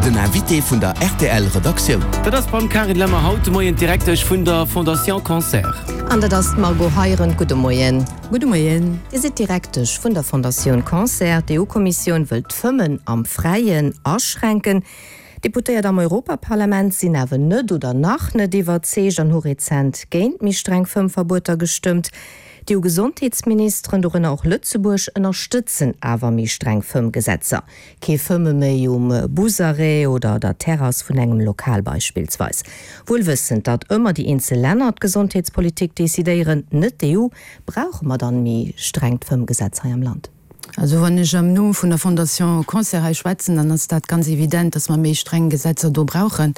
Den Invité vun der rtl Redaktioun. Dat ass d'Madame Carine Lemmer, haut de Moien d'Direktesch vun der Fondation Cancer. An dat ass d'Margot Heirendt. Gudde Moien. Gudde Moien. Dir sidd Direktesch vun der Fondatioun Cancer. D'EU-Kommissioun wëllt d'Fëmmen am Fräien aschränken. Deputéiert am Europaparlament sinn awer net oder nach net iwwerzeegt an hu rezent géint méi streng Fëmmverbueter gestëmmt. D'EU-Gesondheetsministeren, dorënner och Lëtzebuerg, ënnerstëtzen awer méi streng Fëmmgesetzer. Kee Fëmme méi um Busarrêt oder der Terrass vun engem Lokal beispillsweis. Wuel wëssend, datt ëmmer déi eenzel Länner d'Gesondheetspolitik decidéieren, net d'EU, brauche mer dann méi strengt Fëmmgesetz hei am Land? Also wann ech am Numm vun der Fondation Cancer hei schwätzen, dann ass dat ganz evident, dass mer méi streng Gesetzer do brauchen.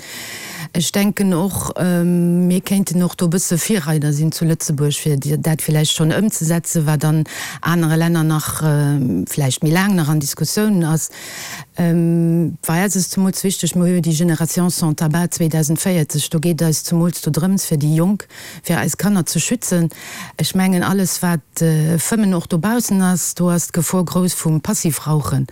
Ech denken och, mir kéinten och do e bësse Virreider sinn zu Lëtzebuerg, fir dat villäicht schonn ëmzesetzen, wat an anere Länner nach vläicht méi laang nach an Diskussioun ass. Bei eis ass zemools wichteg, mir hu jo déi Génération sans tabac 2040, do geet eis zemools do drëms, fir déi Jonk, fir eis Kanner ze schützen. Ech mengen, alles wat Fëmmen och dobaussen ass, do ass d'Gefor grouss vum Passivrauchen.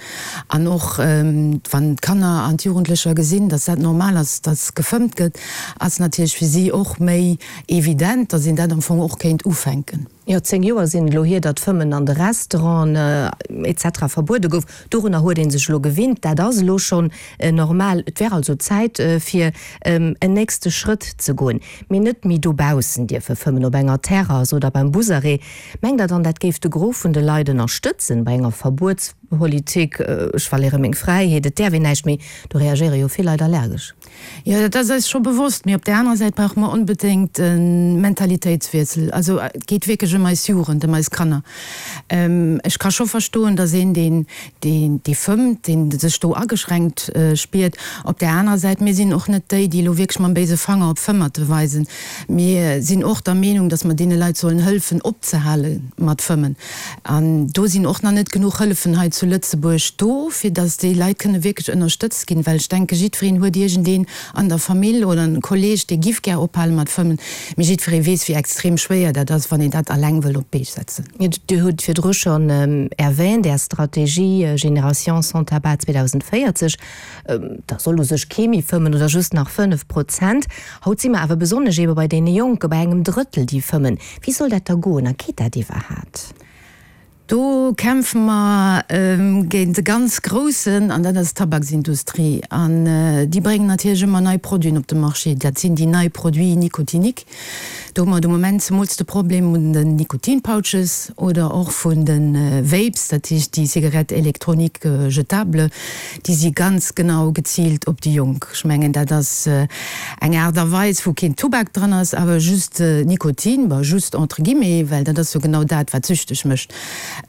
An och wann d'Kanner an d'Jugendlecher gesinn, dass dat normal ass, dass gefëmmt gëtt, ass natierlech fir si och méi evident, dass een dat am Fong och kéint ufänken. Jo, 10 Joer sinn et elo hier, datt Fëmmen an de Restauranten etc. Verbuede gouf. Dorunner huet ee sech elo gewinnt. Dat ass elo schonn normal. Et wär also Zäit, fir en nächste Schrëtt ze goen. Mee net méi dobaussen dierfe fëmmen, op enger Terrass oder beim Busarrêt. Mengt Der dann, dat géif de Gros vun de Leit ënnerstëtzen bei enger Verbuetspolitik, ech verléiere meng Fräiheet, et däerf een näischt méi? Do reagéiere jo vill Leit allergesch. Jo, dat ass eis scho bewosst. Mee op där anerer Säit brauche mer onbedéngt e Mentalitéitswiessel. Also et geet wierklech ëm eis Jugend, ëm eis Kanner. Ech ka scho verstoen, datt een, deen, deen, dee fëmmt, deen sech do ageschränkt spiert. Op där anerer Säit, mir sinn och net déi, déi elo wierklech mam béise Fanger op Fëmmerte weisen. Mir sinn och der Meenung, datt mer deene Leit sollen hëllefen, opzehale mat fëmmen. An do sinn och nach net genuch Hëllefen hei zu Lëtzebuerg do, fir datt déi Leit kënne wierklech ënnerstëtzt ginn. Well ech denke, jiddwereen huet iergendeen an der Famill oder en Kolleeg, dee giff gär ophale mat fëmmen. Mee jiddweree weess, wéi extrem schwéier dat ass, wann een dat alleng wëll op d'Bee setzen. Dir hutt virdru schonn erwähnt, Är Strategie Génération sans tabac 2040, da soll u sech kee méi fëmmen oder just nach 5 Prozent. Haut si mer awer besonnesch eebe bei deene Jonke bei engem Drëttel, déi fëmmen. Wéi soll dat da goen a geet dat iwwerhaat? Do kämpfe mer géint e ganz groussen, an dat ass d'Tabaksindustrie. An déi bréngen natierlech ëmmer nei Produiten op de Marché. Dat sinn déi nei Produits nicotiniques. Do hu mer de Moment zemools de Problem un den Nikotinpouches oder och vun de Vapes, dat heescht déi Cigarettes électroniques jetables, déi si ganz genau geziilt op déi Jonk. Ech mengen, dat ass eng Aart a Weis, wou keen Tubak dran ass, awer just Nikotin, bon, just entre guillemets, well dat ass jo genau dat, wat süchteg mécht.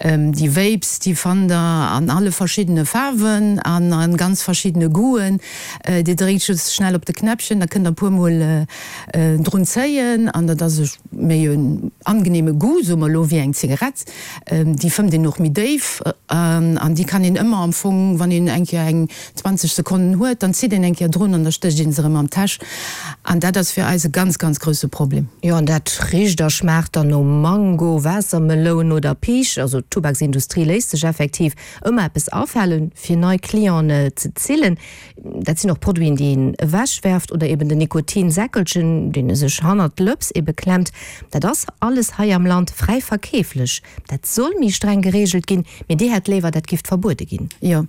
Déi Vapes, déi fannt Der an alle verschiddene Faarwen an a ganz verschiddene Goûten. Dir dréckt just schnell op de Knäppchen, da kënnt Der e puermol Drun zéien, an dat ass e méi en angenehme Goût, soe mer elo, wéi eng Zigarett. Déi fëmmt een och méi déif an déi kann een ëmmer am Fong, wann een eng Kéier eng 20 Sekonnen huet, dann zitt een eng Kéier drun an da stécht een se erëm an d'Täsch. An dat ass fir eis e ganz, ganz grousse Problem. Jo, an dat richt a schmaacht dann no Mango, Waassermeloun oder Piisch. Also d'Tubaksindustrie léisst sech effektiv ëmmer eppes afalen, fir nei Clienten ze zillen. Dat sinn och Produiten, déi een ewechwerft oder eben den Nikotinsäckelchen, deen e sech hannert d'Lëps ebe klemmt. Dat ass alles hei am Land fräi verkeeflech. Dat soll méi streng gereegelt ginn, mee Dir hätt léiwer, dat giff verbuede ginn. Jo,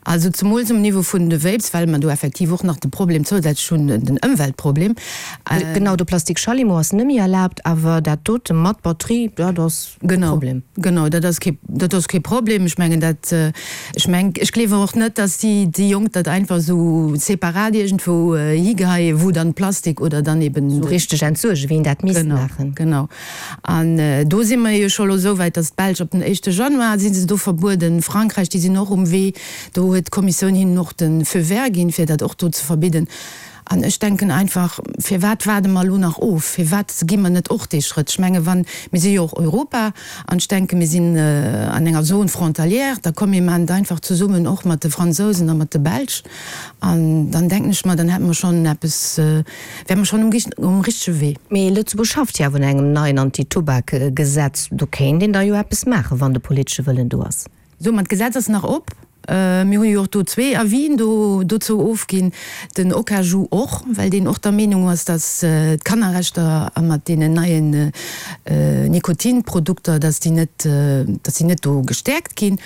also zemools um Niveau vun de Vapes, well mer do effektiv och nach de Problem zousätzlech hunn, den Ëmweltproblem. Genau, de Plastik-Schallimo ass net méi erlaabt, awer dat dote mat Batterie, dat ass. Genau, Problem. Genau, dat ass kee, dat ass kee Problem. Ech mengen dat, ech meng, ech gleewen och net, datt déi, déi Jonk dat einfach esou separat iergendwou higeheien, wou dann Plastik oder dann eben. Esou richteg entsuergen, wéi een dat misst maachen. Genau, genau. An do si mer jo scho elo esou wäit, datt d'Belsch ab den éischte Januar si se do verbueden, Frankräich, déi sinn och um Wee, do huet d'Kommissioun hinnen och de Feu vert ginn, fir dat och do ze verbidden. An ech denken einfach, firwat waarde mer elo nach of? Firwat gi mer net och dee Schrëtt? Ech menge wann, mir si jo och Europa, an ech denke mir sinn an enger Zone frontalière, da komm mir maachen et einfach zesummen och mat de Fransousen a mat de Belsch. An dann denken ech mer, dann hätte mer schonn eppes, wäre mer schonn um richtege Wee. Mee Lëtzebuerg schafft jo awer un engem neien Anti-Tubak-Gesetz. Do kéint een da jo eppes maachen, wann de politesche Wëllen do ass. Sou, ma d'Gesetz ass nach op. Mir hu jo och do zwee Avisen do dozou ofginn, den OKAJU och, well deen och der Meenung ass, datt d'Kannerrechter mat deenen neien Nikotinprodukter, datt déi net, datt déi net do gestäerkt ginn.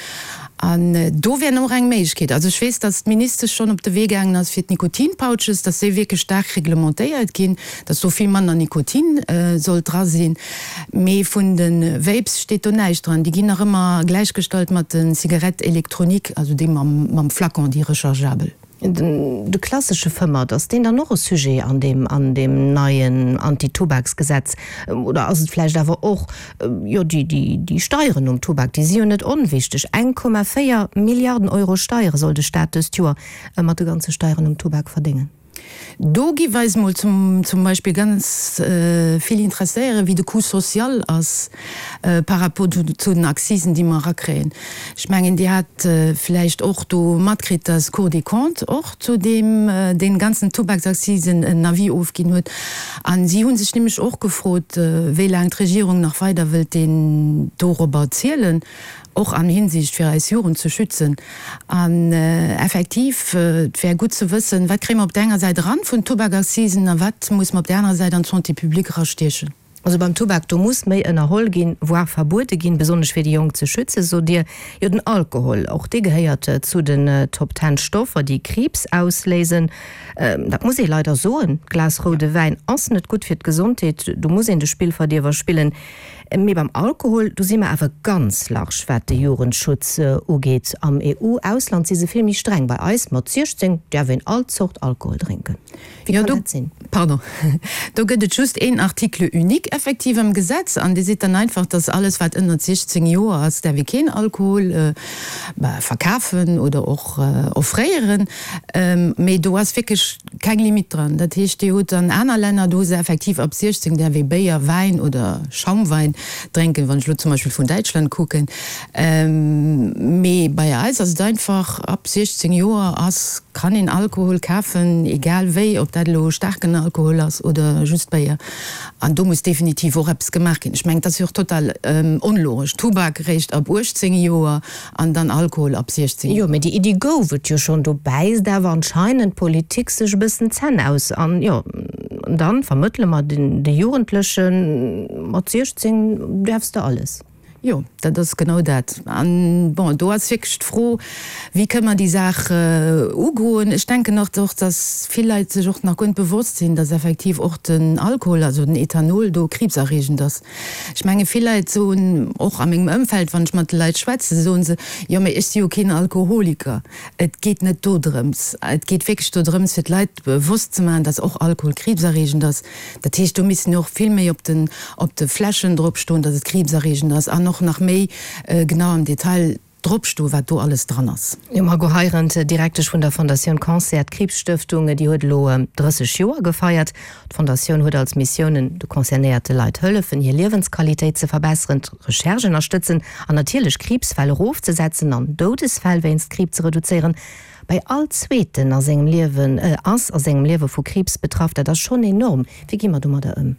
An do wär och eng Méiglechkeet. Also ech weess, datt d'Ministesch schonn op de Wee gaangen ass fir d'Nikotinpouches, datt déi wierklech staark reglementéiert ginn, datt do vill manner Nikotin sollt dra sinn. Mee vun de Vapes steet do näischt dran. Déi ginn nach ëmmer gläichgestallt mat de Cigarettes électroniques, also déi mam Flacon, déi rechargeabel. De klassesche Fëmmert, ass deen dann och e Sujet an deem an deem neien Antitubaksgesetz? Oder ass et vläicht awer och, jo, déi déi Steieren um Tubak, déi si jo net onwichteg. 1,4 Milliarden Euro Steiere soll de Staat dëst Joer mat de ganze Steieren um Tubak verdéngen. Do giff eis mol zum Beispill ganz vill interesséieren, wéi de Coût social ass par rapport zu den Accisen, déi mer erakréien. Ech mengen, Dir hat vläicht och do matkritt, dass d'Cour des Comptes och zu deem, deene ganzen Tubaksaccisen en Avis ofginn huet. A si hu sech nämlech och gefrot, wéi laang d'Regierung nach weider wëllt deen dorobber zielen. Och an Hinsicht fir eis Jugend ze schützen. An effektiv, et wär gutt ze wëssen, wat kréie mer op där enger Säit eran vun Tubakaccisen a wat muss mer op där anerer Säit an d'Santé publique erastiechen. Also beim Tubak, do muss méi ënnerholl ginn, voire verbuede ginn, besonnesch fir déi Jonk ze schützen, sot Dir. Jo, den Alkohol, och dee gehéiert zu den Top Ten Stoffer, déi Kriibs ausléisen. Dat muss ee leider soen, d'Glas roude Wäin ass net gutt fir d'Gesondheet, do muss een de Spillverdierwer spillen. Mee beim Alkohol, do si mer awer ganz large, wat de Jugendschutz ugeet. Am EU-Ausland si se vill méi streng. Bei eis, mat 16 däerf een all Zort Alkohol drénken. Wéi kann dat sinn? Pardon, do gëtt et just een Article unique effektiv am Gesetz an dee seet dann einfach, dass alles, wat ënnert 16 Joer ass, däerf ee keen Alkohol verkafen oder och offréieren. Mee do ass wierklech Keng Limite dran. Dat heescht, Dir hutt an aner Länner, do hu se effektiv ab 16 däerf ee Béier, Wäin oder Schaumwein drénken, wann ech elo zum Beispill vun Däitschland kucken. Mee bei eis ass et einfach, ab 16 Joer ass, kann een Alkohol kafen, egal wéi, ob dat elo staarken Alkohol ass oder just Béier. An do muss definitiv och eppes gemaach ginn. Ech mengen, et ass jo och total onlogesch, Tubak eréischt ab 18 Joer An dann Alkohol ab 16 Joer. Jo, mee déi Iddi gouf et jo schonn. Do bäisst awer anscheinend d'Politik sech e bëssen d'Zänn aus. An jo, dann vermëttele mer de Jugendlechen, mat 16 däerfs de alles. Jo, dat ass genau dat. An bon, do ass wierklech d'Fro, wéi kënne mer déi Saach ugoen. Ech denken och, datt vill Leit sech och nach guer net bewosst sinn, datt effektiv och den Alkohol, also den Ethanol do kriibserreegend ass. Ech menge vill Leit soen, och a mengem Ëmfeld, wann ech mat de Leit schwätzen, soen se, jo mee ech si jo keen Alkoholiker. Et geet net dodrëms. Et geet wierklech dodrëms fir d'Leit bewosst ze maachen, datt och Alkohol kriibserreegend ass. Dat heescht, do missten och vill méi op den op de Fläschen drop stoen, datt et kriibserreegend ass an och nach méi genau am Detail drop stoen, wat do alles dran ass. Jo, Margot Heirendt, Direktesch vun der Fondatioun Cancer, d'Kriibsstëftung, déi huet elo 30 Joer gefeiert. D'Fondatioun huet als Missiounen, de concernéierte Leit hëllefen, hir Liewensqualitéit ze verbesseren, d'Recherche ënnerstëtzen an natierlech Kriibsfäll erofzesetzen an Doudesfäll wéinst Kriib ze reduzéieren. Bei all Zweeten a sengem Liewen ass a sengem Liewe vu Kriibs betraff. Dat ass schonn enorm. Wéi gi mer domadder ëm?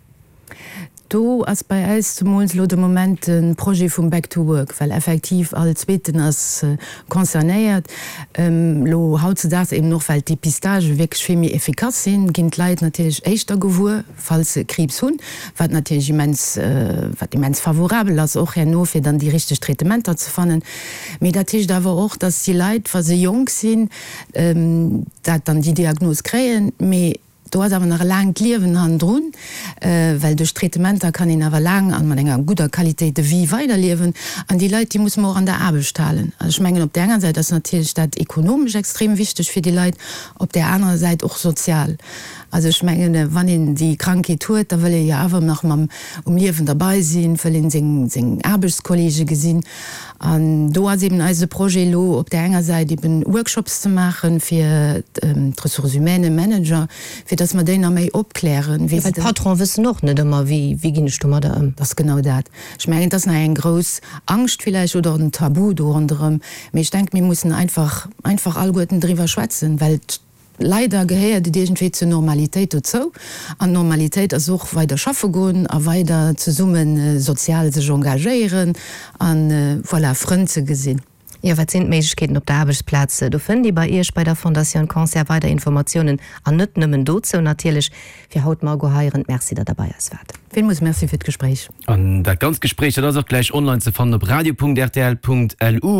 Do ass bei äis zemools elo de Moment de Projet vum Back to Work, well effektiv all Zweeten ass concernéiert. Elo hautzedaags eben och, well d'Dépistagë wierklech vill méi effikass sinn, ginn d'Leit natierlech éischter gewuer, falls se Kriibs hunn, wat natierlech immens, wat immens favorabel ass och herno, fir dann déi richteg Traitementer ze fannen. Mee dat heescht awer och, dass déi Leit, wa se jonk sinn, dat dann déi Diagnos kréien, mee Do ass awer nach e laangt Liewen hannendrun, well duerch d'Traitementer kann een awer laang an mat enger gudder Qualité de vie weiderliewen. An déi Leit, déi musse mer och an der Aarbecht halen. Also ech mengen, op där enger Säit ass natierlech dat ekonomesch extrem wichteg fir déi Leit, op där anerer Säit och sozial. Also ech mengen, wann een déi Krankheet huet, da wëll ee jo awer nach mam um Liewen derbei sinn, wëll een seng seng Aarbechtskolleege gesinn. An do ass eben eise Projet elo op där enger Säit eben Workshops ze maache fir d'Ressources humaines, Manager, fir datt mer déi nach méi opklären, wéi se. Well d'Patronen wëssen och net ëmmer, wéi wéi ginn ech domadder ëm. Dat ass genau dat. Ech mengen, et ass nach eng grouss Angscht villäicht oder en Tabu do ronderëm. Mee ech denken, mir mussen einfach einfach alleguerten driwwer schwätzen, well Leider gehéiert et iergendwéi zur Normalitéit dozou. An d'Normalitéit ass och weider schaffe goen a weider zesumme sozial sech engagéieren a voilà, Frënn ze gesinn. Jo, wat sinn d'Méiglechkeeten op der Aarbechtsplaz? Do fënnt ee bei Iech bei der Fondatioun Cancer weider Informatiounen an net nëmmen dozou natierlech. Fir haut, Margot Heirendt, Merci, datt Der bei eis waart. Villmools Merci fir d'Gespréich. An dat ganzt Gespréich, dat ass och gläich online ze fannen op radio.rtl.lu.